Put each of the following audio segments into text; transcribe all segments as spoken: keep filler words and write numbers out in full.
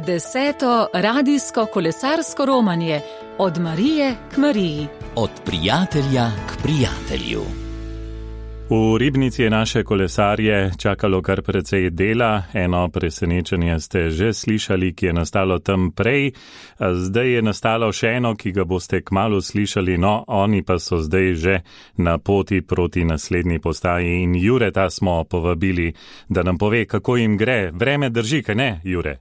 Deseto radijsko kolesarsko romanje od Marije k Mariji. Od prijatelja k prijatelju. V Ribnici je naše kolesarje čakalo kar precej dela. Eno presenečenje ste že slišali, ki je nastalo tam prej. Zdaj je nastalo še eno, ki ga boste kmalu slišali, no oni pa so zdaj že na poti proti naslednji postaji. In Jureta smo povabili, da nam pove, kako jim gre. Vreme drži, kaj ne, Jure?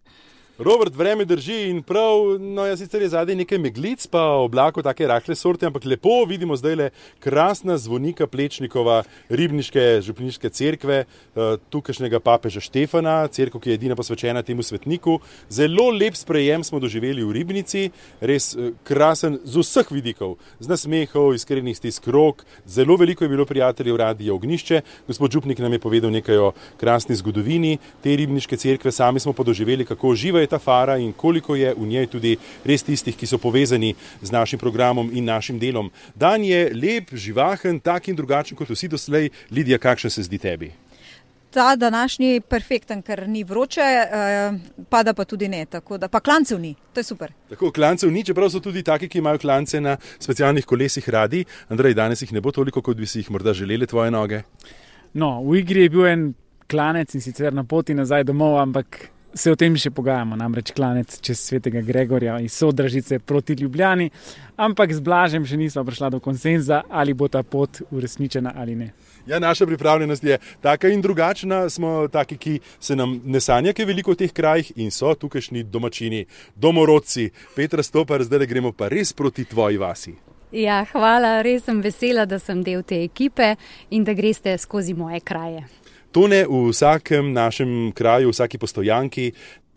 Robert, vreme drži in prav, no ja sicer je zadaj nekaj meglic, pa oblako take rahle sorte, ampak lepo vidimo zdaj le krasna zvonika Plečnikova ribniške župniške cerkve, tukajšnjega papeža Štefana, cerkev, ki je edina posvečena temu svetniku. Zelo lep sprejem smo doživeli v Ribnici, res krasen z vseh vidikov, z nasmehov, iskrenih stisk rok, zelo veliko je bilo prijateljev Radia Ognjišče. Gospod župnik nam je povedal nekaj o krasni zgodovini te ribniške cerkve, sami smo pa doživeli, kako živa je ta fara in koliko je v njej tudi res tistih, ki so povezani z našim programom in našim delom. Dan je lep, živahen, tak in drugačen kot vsi doslej. Lidija, kakšen se zdi tebi? Ta današnji je perfekten, ker ni vroče, pada pa tudi ne, tako da pa klancev ni, to je super. Tako, klancev ni, čeprav so tudi taki, ki imajo klance na specialnih kolesih radi. Andrej, danes jih ne bo toliko, kot bi si jih morda želeli tvoje noge. No, v igri je bil en klanec in sicer na poti nazaj domov, ampak se o tem še pogajamo, namreč klanec čez Svetega Gregorja iz Sodražice proti Ljubljani, ampak z Blažem še nismo prišla do konsenza, ali bo ta pot uresničena ali ne. Ja, naša pripravljenost je taka in drugačna, smo taki, ki se nam ne sanja, ki je veliko v teh krajih in so tukajšnji domačini, domorodci. Petra Stopar, zdaj gremo pa res proti tvoji vasi. Ja, hvala, res sem vesela, da sem del te ekipe in da greste skozi moje kraje. Tone v vsakem našem kraju, v vsaki postojanki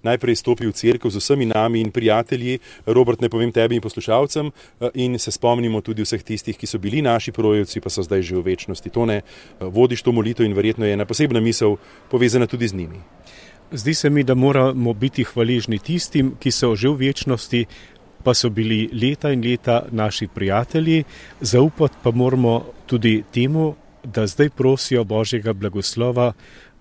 najprej stopi v cerkev z vsemi nami in prijatelji. Robert, ne povem tebi in poslušalcem, in se spomnimo tudi vseh tistih, ki so bili naši prorocci, pa so zdaj že v večnosti. Tone, vodiš to molitev in verjetno je ena posebna misel povezana tudi z njimi. Zdi se mi, da moramo biti hvaležni tistim, ki so že v večnosti, pa so bili leta in leta naši prijatelji. Zaupati pa moramo tudi temu, da zdaj prosijo Božjega blagoslova,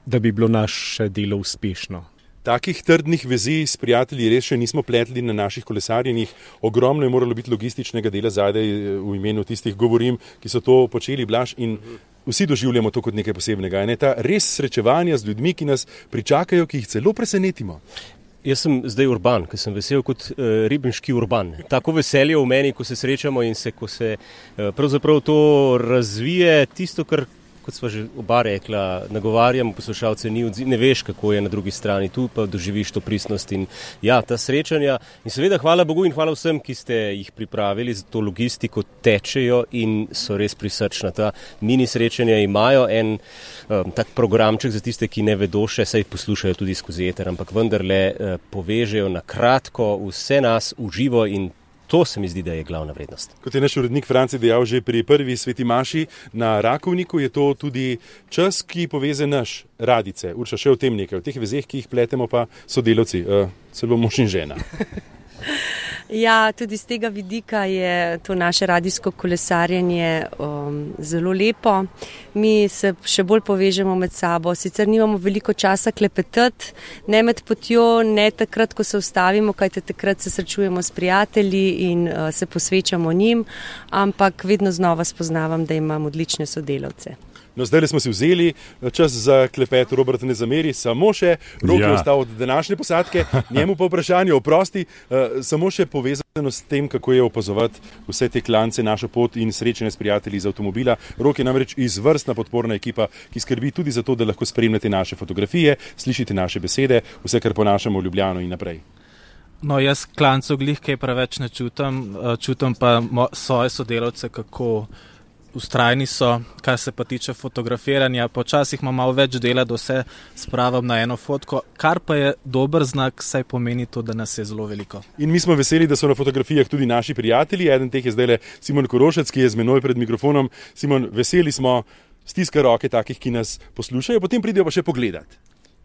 da bi bilo naše delo uspešno. Takih trdnih vezi s prijatelji res še nismo pletli na naših kolesarjenjih. Ogromno je moralo biti logističnega dela zadaj, v imenu tistih govorim, ki so to počeli, Blaž, in vsi doživljamo to kot nekaj posebnega. Ne? Ta res srečevanja z ljudmi, ki nas pričakajo, ki jih celo presenetimo. Jaz sem zdaj urban, ker sem vesel kot uh, ribniški urban. Tako veselje v meni, ko se srečamo in se, ko se uh, pravzaprav to razvije, tisto, kar, kot sva že oba rekla, nagovarjamo poslušalce, ni odziv, ne veš, kako je na drugi strani, tu pa doživiš to pristnost in ja, ta srečanja. In seveda hvala Bogu in hvala vsem, ki ste jih pripravili za to logistiko, tečejo in so res prisrčna. Ta mini srečanja imajo en um, tak programček za tiste, ki ne vedo še, saj poslušajo tudi skozi eter, ampak vendarle uh, povežejo na kratko vse nas v živo in to se mi zdi, da je glavna vrednost. Kot je naš urednik Franci dejal že pri prvi sveti maši na Rakovniku, je to tudi čas, ki poveze naš Radice. Urša, še o tem nekaj, o teh vezeh, ki jih pletemo pa sodelavci, uh, celo mož in žena. Ja, tudi z tega vidika je to naše radijsko kolesarjenje um, zelo lepo. Mi se še bolj povežemo med sabo, sicer nimamo veliko časa klepetati, ne med potjo, ne takrat, ko se ustavimo, kajte takrat se srečujemo s prijatelji in uh, se posvečamo njim, ampak vedno znova spoznavam, da imam odlične sodelavce. No, zdaj smo si vzeli čas za klepet, Robert ne zameri, samo še Rok je ja. ostal od današnje posadke, njemu pa vprašanje oprosti, uh, samo še povezano s tem, kako je opazovati vse te klance, našo pot in srečanje s prijatelji iz avtomobila. Rok je namreč izvrstna podporna ekipa, ki skrbi tudi za to, da lahko spremljate naše fotografije, slišite naše besede, vse, kar ponašamo v Ljubljano in naprej. No, jaz klancov glih kaj preveč ne čutam, čutam pa svoje sodelavce, kako ustrajni so, kar se pa tiče fotografiranja. Počasih imam malo več dela, da vse spravim na eno fotko, kar pa je dober znak, saj pomeni to, da nas je zelo veliko. In mi smo veseli, da so na fotografijah tudi naši prijatelji. Eden teh je zdaj le Simon Korošec, ki je z menoj pred mikrofonom. Simon, veseli smo, stiska roke takih, ki nas poslušajo, potem pridejo pa še pogledati.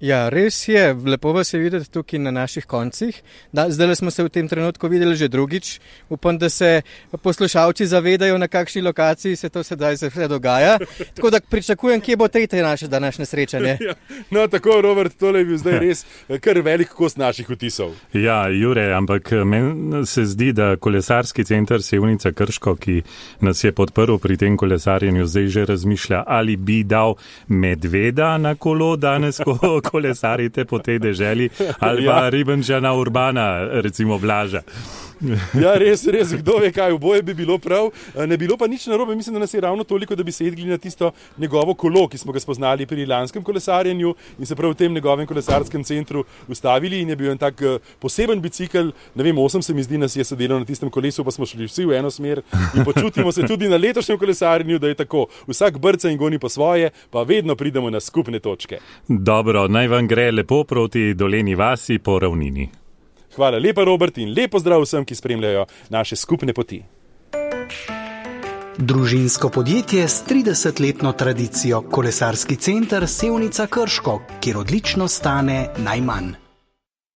Ja, res je, lepo vas je videti tukaj na naših koncih. Da, zdaj smo se v tem trenutku videli že drugič. Upam, da se poslušalci zavedajo, na kakšni lokaciji se to sedaj vse dogaja. Tako da pričakujem, kje bo tretje naše današnje srečanje. Ja, no, tako, Robert, tole je bil zdaj res kar velik kos naših vtisov. Ja, Jure, ampak meni se zdi, da kolesarski center Sevnica Krško, ki nas je podprl pri tem kolesarjenju, zdaj že razmišlja, ali bi dal medveda na kolo danes, ko kolesarite po tej deželi, ali pa ja. Ribenčana Urbana, recimo Blaža. Ja, res, res, kdo ve kaj, oboje bi bilo prav. Ne bilo pa nič narobe, mislim, da nas je ravno toliko, da bi se jedli na tisto njegovo kolo, ki smo ga spoznali pri lanskem kolesarjenju in se prav v tem njegovem kolesarskem centru ustavili in je bil en tak poseben bicikl, ne vem, osem se mi zdi, nas je sedelo na tistem kolesu, pa smo šli vsi v eno smer in počutimo se tudi na letošnjem kolesarjenju, da je tako, vsak brca in goni po svoje, pa vedno pridemo na skupne točke. Dobro, naj vam gre lepo proti Doleni vasi po ravnini. Hvala lepa, Robert, in lepo zdrav vsem, ki spremljajo naše skupne poti. Družinsko podjetje s tridesetletno tradicijo, kolesarski center Sevnica Krško, kjer odlično stane najmanj.